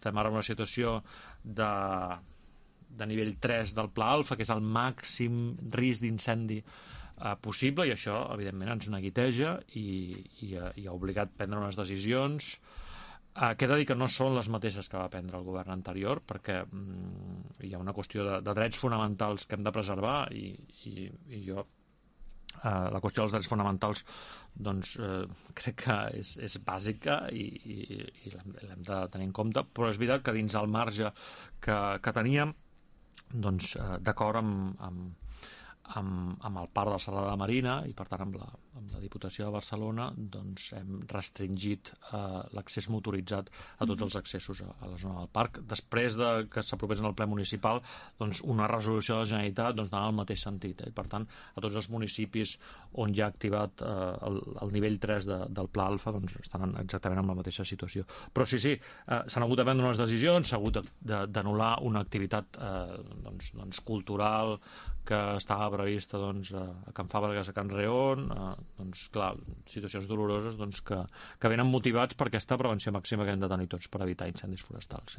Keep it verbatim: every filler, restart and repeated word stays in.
estem ara en una situació de, de nivell tres del Pla Alfa, que és el màxim risc d'incendi eh, possible, i això, evidentment, ens neguiteja i, i, i ha obligat a prendre unes decisions eh, que he de dir que no són les mateixes que va prendre el govern anterior, perquè mm, hi ha una qüestió de, de drets fonamentals que hem de preservar, i, i, i jo Uh, la qüestió dels drets fonamentals doncs uh, crec que és, és bàsica i, i, i l'hem de tenir en compte, però és veritat que dins el marge que, que teníem, doncs uh, d'acord amb, amb, amb, amb el parc de la Serralada Marina i per tant amb la, amb la Diputació de Barcelona, doncs hem restringit uh, l'accés motoritzat a tots els accessos a, a la zona del parc. Després de que s'aprovés en el ple municipal, doncs una resolució de la Generalitat doncs, anava al mateix sentit, eh? I per tant a tots els municipis on hi ha activat eh, el, el nivell tres de, del Pla Alfa, doncs estan exactament en la mateixa situació. Però sí, sí, eh, s'han hagut de prendre unes decisions, s'ha hagut d'anul·lar una activitat eh, doncs, doncs cultural que estava prevista doncs, a Can Fàbregas, a Can Reón, eh, doncs clar, situacions doloroses doncs, que, que venen motivats per aquesta prevenció màxima que hem de tenir tots per evitar incendis forestals. Sí.